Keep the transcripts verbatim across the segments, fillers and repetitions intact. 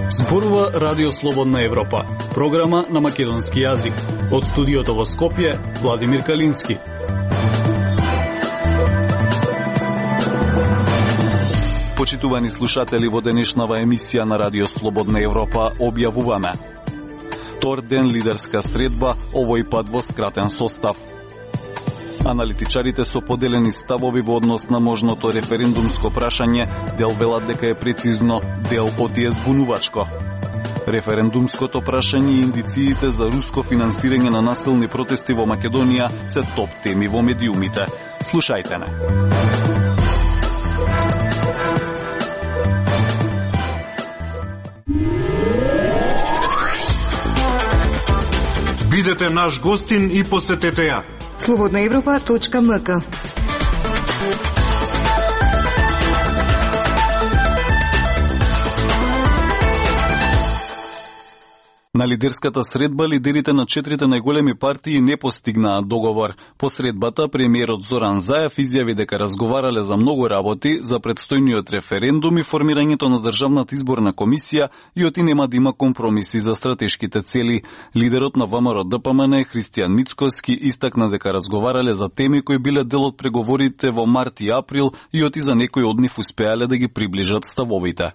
Зборува Радио Слободна Европа, програма на македонски јазик. Од студиото во Скопје, Владимир Калински. Почитувани слушатели, во денешнава емисија на Радио Слободна Европа објавуваме: втор ден лидерска средба, овој пат во скратен состав. Аналитичарите со поделени ставови во однос на можното референдумско прашање, дел велат дека е прецизно, дел отие збунувачко. Референдумското прашање и индициите за руско финансирање на насилни протести во Македонија се топ теми во медиумите. Слушајте не. Бидете наш гостин и посетете ја. слободна европа точка ем ка. На лидерската средба лидерите на четирите најголеми партии не постигнаа договор. По средбата премиерот Зоран Заев изјави дека разговарале за многу работи, за предстојниот референдум и формирањето на државната изборна комисија и оти нема да има компромиси за стратешките цели. Лидерот на ВМРО Д П М Н Христијан Мицкоски истакна дека разговарале за теми кои биле дел од преговорите во март и април и оти за некои од нив успеале да ги приближат ставовите.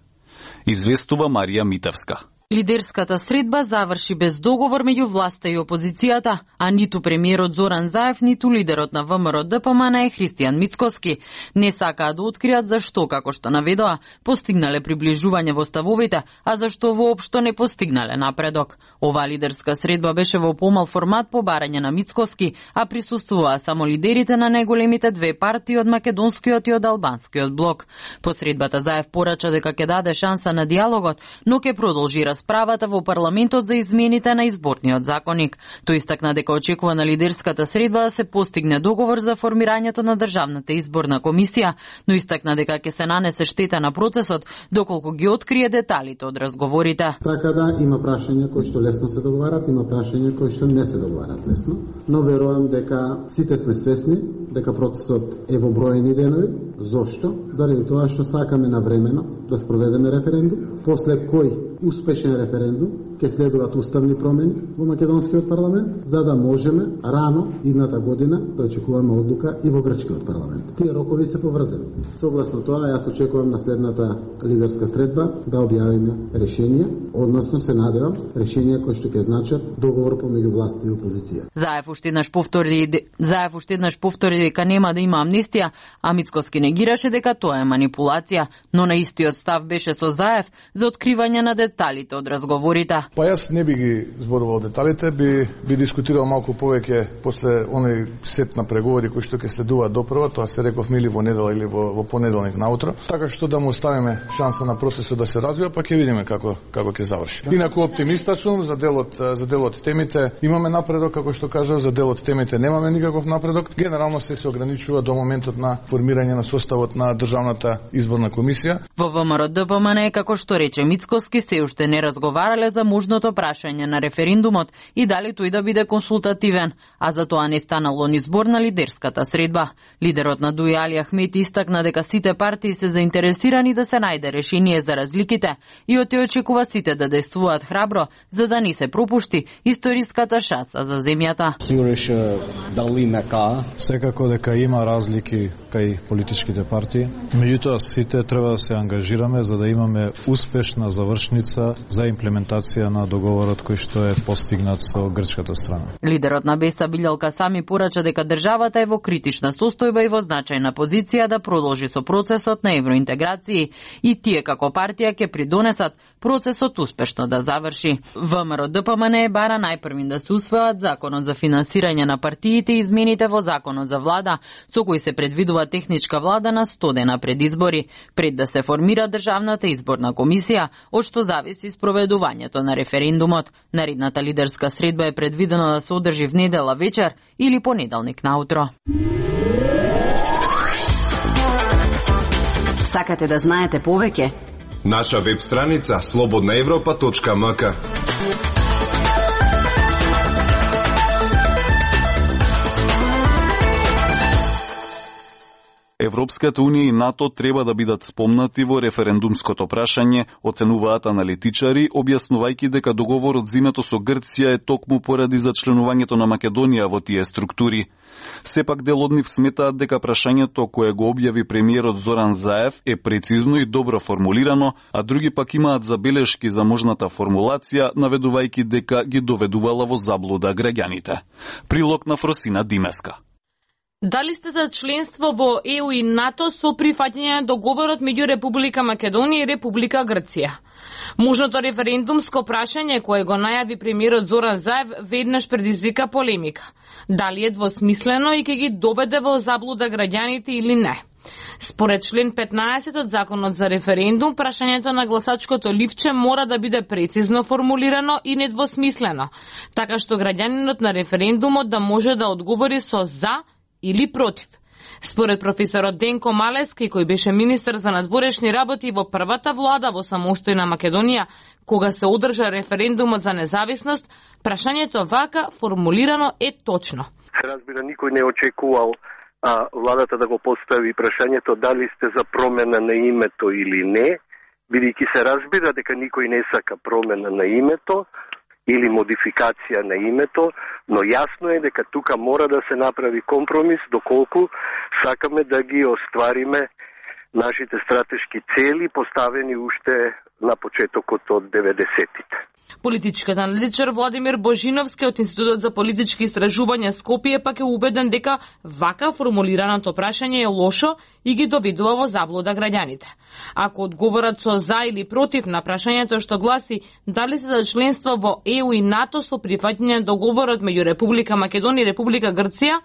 Известува Марија Митевска. Лидерската средба заврши без договор меѓу власта и опозицијата, а ниту премиерот Зоран Заев, ниту лидерот на ВМРО Д П М Н Христијан Мицкоски не сакаа да откријат зашто, како што наведоа, постигнале приближување во ставовите, а зашто воопшто не постигнале напредок. Ова лидерска средба беше во помал формат по барање на Мицкоски, а присуствуваа само лидерите на најголемите две партии од македонскиот и од албанскиот блок. По средбата Заев порача дека ќе даде шанса на диалогот, но ќе продолжи расправата во парламентот за измените на изборниот законник. Тој истакна дека очекува на лидерската средба да се постигне договор за формирањето на државната изборна комисија, но истакна дека ќе се нанесе штета на процесот доколку ги открие деталите од разговорите. Така да, има прашања кои што лесно се договарат, има прашања кои што не се договарат лесно, но верувам дека сите сме свесни дека процесот е во броени денови. Зошто? Заради тоа што сакаме навремено да спроведеме референдум, после кој успешен референдум ќе следуваат уставни промени во македонскиот парламент, за да можеме рано идната година да очекуваме одлука и во грчкиот парламент. Тие рокови се поврзани. Согласно тоа, јас очекувам на следната лидерска средба да објавиме решение, односно се надевам решение кои што ќе значат договор помеѓу власт и опозиција. Заев уште еднаш повтори, Заев уште еднаш повтори дека нема да има амнистија, а Мицкоски негираше дека тоа е манипулација, но на истиот став беше со Заев за откривање на деталите од разговорите. Па јас не би ги зборувал деталите, би би дискутирал малку повеќе после оној сет на преговори кои што ќе следуваат допрва, тоа се реков мили во недела или во, во понеделник наутро, така што да му оставиме шанса на процесот да се развива, па ќе видиме како како ќе заврши. Инаку оптимиста сум за делот за делот темите, имаме напредок, како што кажав, за делот темите немаме никаков напредок. Генерално се се ограничува до моментот на формирање на составот на државната изборна комисија. Во ВМРО Д П М Н, како што рече Мицкоски, се уште не разговарале за можното прашање на референдумот и дали тој да биде консултативен, а за тоа не станало ни збор на лидерската средба. Лидерот на Дуј Али Ахмет истакна дека сите партии се заинтересирани да се најде решение за разликите и од тој очекува сите да действуваат храбро за да не се пропушти историската шанса за земјата. Сигуриш дали мека секако дека има разлики кај политичките партии, меѓутоа сите треба да се ангажираме за да имаме успешна завршница за имплементација на договорот кој што е постигнат со грчката страна. Лидерот на Беста Билјал Касами порача дека државата е во критична состојба и во значајна позиција да продолжи со процесот на евроинтеграција и тие како партија ќе придонесат процесот успешно да заврши. ВМРО Д П М Н бара најпрвин да се усвојат законот за финансирање на партиите и измените во законот за влада, со кои се предвидува техничка влада на сто дена пред избори, пред да се формира државната изборна комисија, од што зависи спроведувањето на референдумот. Наредната лидерска средба е предвидено да се одржи в недела вечер или понеделник наутро. Сакате да знаете повеќе? Наша веб страница слободна европа точка ем ка. Европската унија и НАТО треба да бидат спомнати во референдумското прашање, оценуваат аналитичари, објаснувајќи дека договорот за името со Грција е токму поради зачленувањето на Македонија во тие структури. Сепак дел од нив сметаат дека прашањето кое го објави премиерот Зоран Заев е прецизно и добро формулирано, а други пак имаат забелешки за можната формулација, наведувајќи дека ги доведувала во заблуда граѓаните. Прилог на Фросина Димеска. Дали сте за членство во Е У и НАТО со прифаќање на договорот меѓу Република Македонија и Република Грција? Можното референдумско прашање кое го најави премиерот Зоран Заев веднаш предизвика полемика. Дали е двосмислено и ќе ги доведе во заблуда граѓаните или не? Според член петнаесет од Законот за референдум, прашањето на гласачкото ливче мора да биде прецизно формулирано и недвосмислено, така што граѓанинот на референдумот да може да одговори со за или против. Според професорот Денко Малески, кој беше министер за надворешни работи во првата влада во самостојна Македонија, кога се одржа референдумот за независност, прашањето вака формулирано е точно. Разбира, никој не очекувал а, владата да го постави прашањето дали сте за промена на името или не, бидејќи се разбира дека никој не сака промена на името или модификација на името, но јасно е дека тука мора да се направи компромис доколку сакаме да ги оствариме нашите стратешки цели поставени уште на почетокот од деветдесетите. Политичкиот аналитичар Владимир Божиновски од Институтот за политички истражувања Скопје пак е убеден дека вака формулираното прашање е лошо и ги доведува во заблуда граѓаните. Ако одговорат со за или против на прашањето што гласи дали се за членство во Е У и НАТО со прифаќање на договорот меѓу Република Македонија и Република Грција,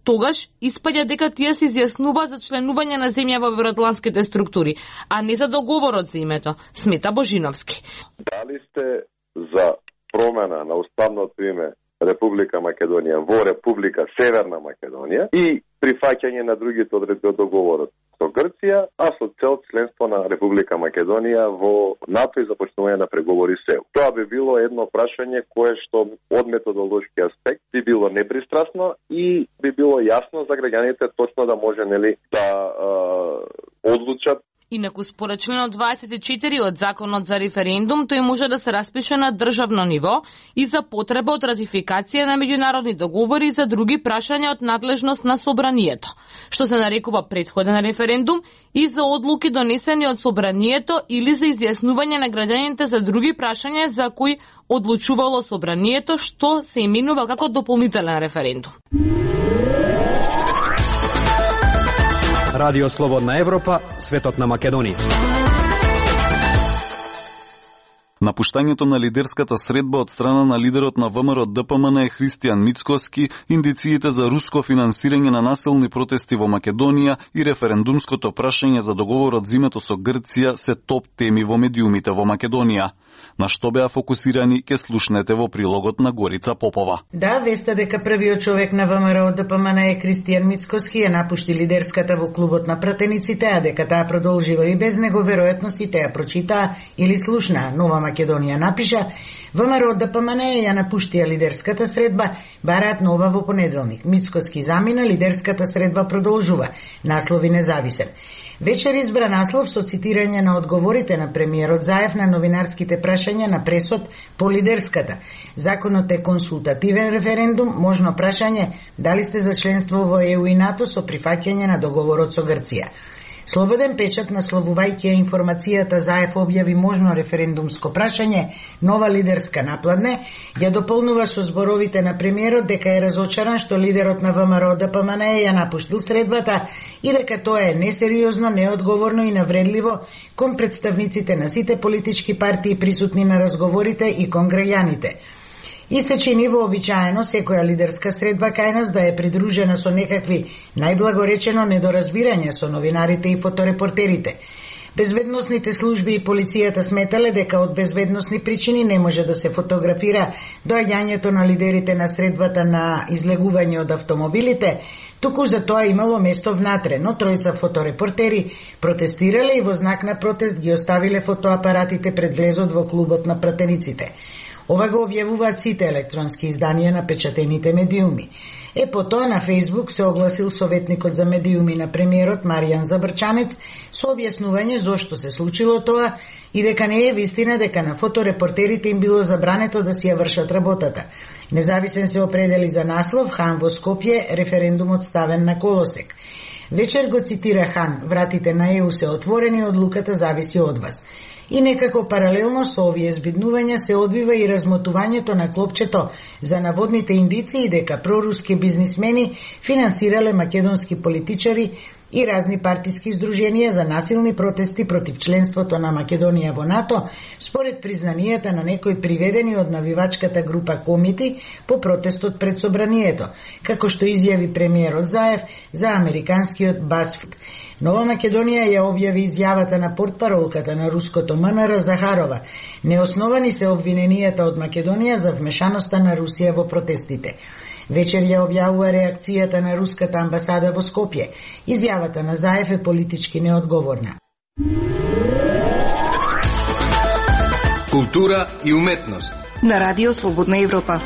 тогаш испаѓа дека тие се изјаснува за членување на земја во евроатлантските структури, а не за договорот за името, смета Божиновски. Дали сте за промена на уставното име Република Македонија во Република Северна Македонија и прифаќање на другите одредби од договорот со Грција, а со цел членство на Република Македонија во НАТО и започнување на преговори со Е У. Тоа би било едно прашање кое што од методолошки аспект би било непристрасно и би било јасно за граѓаните точно да може нели да е, одлучат. Инаку според членот дваесет и четири од Законот за референдум, тој може да се распише на државно ниво и за потреба од ратификација на меѓународни договори и за други прашања од надлежност на собранието, што се нарекува претходен референдум, и за одлуки донесени од собранието или за изјаснување на граѓаните за други прашања за кои одлучувало собранието, што се именува како дополнителен референдум. Радио Слободна Европа, светот на Македонија. Напуштањето на лидерската средба од страна на лидерот на Вэ Ем Ер Д П М Н Христијан Мицкоски, индициите за руско финансирање на насилни протести во Македонија и референдумското прашање за договорот за името со Грција се топ теми во медиумите во Македонија. На што беа фокусирани ке слушнете во прилогот на Горица Попова. Да, веста дека првиот човек на Вэ Ем Ер Д П М Н е Христијан Мицкоски ја напушти лидерската во клубот на пратениците, а дека таа продолжива и без него, веројатно сите ја прочитаа или слушнаа. Нова Македонија напиша: Вэ Ем Ер Д П М Н ја напуштија лидерската средба, бараат нова во понеделник. Мицкоски замина, лидерската средба продолжува. Наслови независен. Вечер избра наслов со цитирање на одговорите на премиерот Заев на новинарските прашања на пресот по лидерската. Законот е консултативен референдум, можно прашање дали сте за членство во Е У и НАТО со прифаќање на договорот со Грција. Слободен печат, насловувајќи информацијата Заев објави можно референдумско прашање, нова лидерска напладне, ја дополнува со зборовите на премиерот дека е разочаран што лидерот на Вэ Ем Ер Д П М Н ја напуштил средбата и дека тоа е несериозно, неодговорно и навредливо кон представниците на сите политички партии присутни на разговорите и кон граѓаните. И се чини вообичаено секоја лидерска средба кај нас да е придружена со некакви, најблагоречено, недоразбирања со новинарите и фоторепортерите. Безбедносните служби и полицијата сметале дека од безбедносни причини не може да се фотографира доаѓањето на лидерите на средбата на излегување од автомобилите, туку за тоа имало место внатре, но тројца фоторепортери протестирале и во знак на протест ги оставиле фотоапаратите пред влезот во клубот на пратениците. Ова го објавуваат сите електронски изданија на печатените медиуми. Е потоа на Фејсбук се огласил советникот за медиуми на премиерот Маријан Забрчанец со објаснување зошто се случило тоа и дека не е вистина дека на фоторепортерите им било забрането да си ја вршат работата. Независен се определи за наслов Хан во Скопје, референдумот ставен на колосек. Вечер го цитира Хан: "Вратите на Е У се отворени, одлуката зависи од вас." И некако паралелно со овие збиднувања се одвива и размотувањето на клопчето за наводните индиции дека проруски бизнисмени финансирале македонски политичари и разни партиски здруженија за насилни протести против членството на Македонија во НАТО, според признанијата на некои приведени од навивачката група Комити по протестот пред собранието, како што изјави премиерот Заев за американскиот BuzzFeed. Нова Македонија ја објави изјавата на портпаролката на руското М Н Р Захарова. Неосновани се обвиненијата од Македонија за вмешаноста на Русија во протестите. Вечер ја објавува реакцијата на руската амбасада во Скопје. Изјавата на Заев е политички неодговорна. Култура и уметност на Радио Слободна Европа.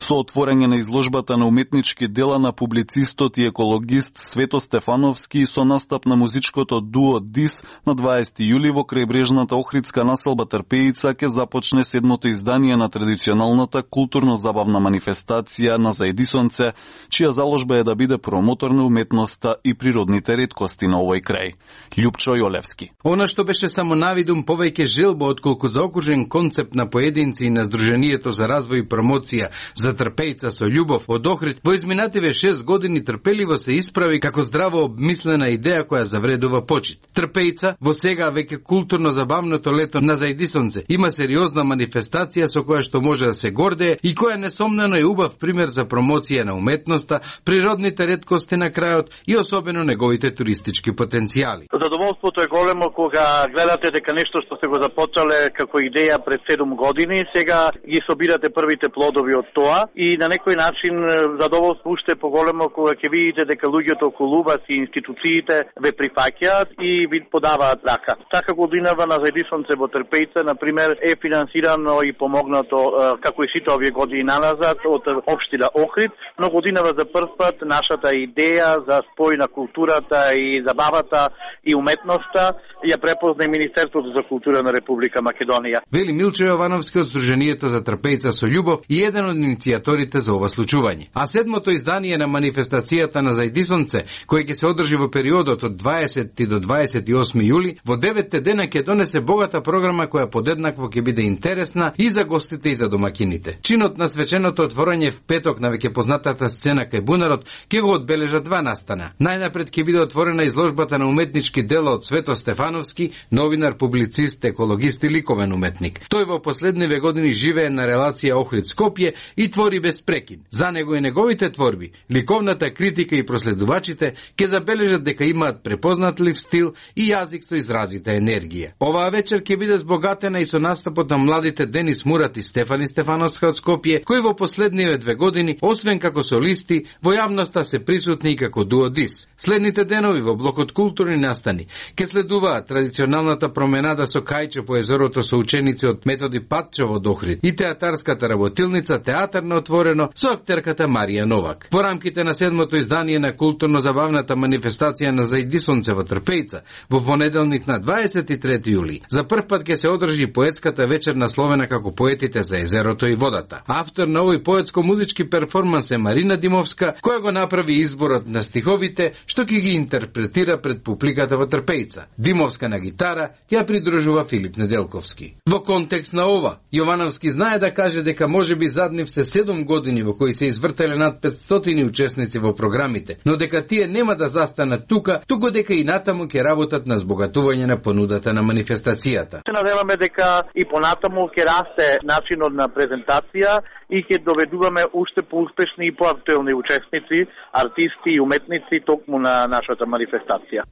Со отворање на изложбата на уметнички дела на публицистот и екологист Свето Стефановски со настап на музичкото дуо Дис на дваесети јули во крајбрежната охридска населба Трпеица ќе започне седмото издание на традиционалната културно-забавна манифестација на Заедисонце, чија заложба е да биде промотор на уметноста и природните реткости на овој крај. Љупчо Јолевски. Она што беше само навидум повеќе желба отколку заокружен концепт на поединци и на Сдруженијето за развој и промоција за Трпеица со љубов од Охрид, во изминативе шест години трпеливо се исправи како здраво обмислена идеја која завредува почит. Трпеица во сега веќе културно-забавното лето на Заедисонце има сериозна манифестација со која што може да се гордее и која несомнено е убав пример за промоција на уметноста, природните реткости на крајот и особено неговите туристички потенцијали. Задоволството е големо кога гледате дека нешто што се го започнале како идеја пред седум години, сега ги собирате првите плодови од тоа. И на некој начин задоволство уште поголемо кога ќе видите дека луѓето околу вас и институциите ве прифаќаат и ви подаваат рака. Така годинава на Заедисонце во Трпеица, например, е финансирано и помогнато, како и сите овие години наназад, од општина Охрид, но годинава за прв пат нашата идеја за спој на културата и забавата и уметноста ја препозна и Министерството за култура на Република Македонија. Вели Милчо Јовановски од Сдруженијето за Трпеица со љубов и еден од иницијаторите за ова случување. А седмото издание на манифестацијата на Заедисонце, кој ќе се одржи во периодот од дваесети до дваесет и осми јули, во деветте дена ќе донесе богата програма која подеднакво ќе биде интересна и за гостите и за домакините. Чинот на свеченото отворање в петок на веќе познатата сцена кај бунарот ќе го одбележат два настана. Најнапред ќе биде отворена изложбата на уметнички дела од Свето Стефановски, новинар, публицист, екологист и ликовен уметник. Тој во последниве години живее на релација Охрид-Скопје и твори без прекин. За него и неговите творби, ликовната критика и проследувачите ќе забележат дека имаат препознатлив стил и јазик со изразита енергија. Оваа вечер ќе биде збогатена и со настапот на младите Денис Мурат и Стефани Стефановска од Скопје, кои во последниве две години, освен како солисти, во јавноста се присутни и како дуо Дис. Следните денови во блокот културни настани ќе следуваат традиционалната променада со кајче по езерото со ученици од Методи Патчев од Охрид и театарската работилница Театар на отворено со актерката Марија Новак. Во рамките на седмото издание на културно-забавната манифестација на Заедисонце во Трпеица, во понеделник на дваесет и трети јули, за прв пат ќе се одржи поетската вечер насловена како Поетите за езерото и водата. Автор на овој поетско-музички перформанс е Марина Димовска, која го направи изборот на стиховите што ќе ги интерпретира пред публиката во Трпеица. Димовска на гитара ја придружува Филип Неделковски. Во контекст на ова, Јовановски знае да каже дека можеби заднив се седум години во кои се извртеле над петстотини учесници во програмите, но дека тие нема да застанат тука, туку дека и натаму ќе работат на збогатување на понудата на манифестацијата. Се надеваме дека и понатаму ќе расте начинот на презентација и ќе доведуваме уште поуспешни и поактуелни учесници, артисти и уметници токму на нашата манифестација.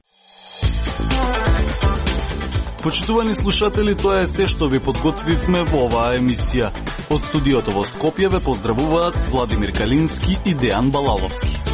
Почитувани слушатели, тоа е се што ви подготвивме во оваа емисија. Од студиото во Скопје ве поздравуваат Владимир Калински и Дејан Балаловски.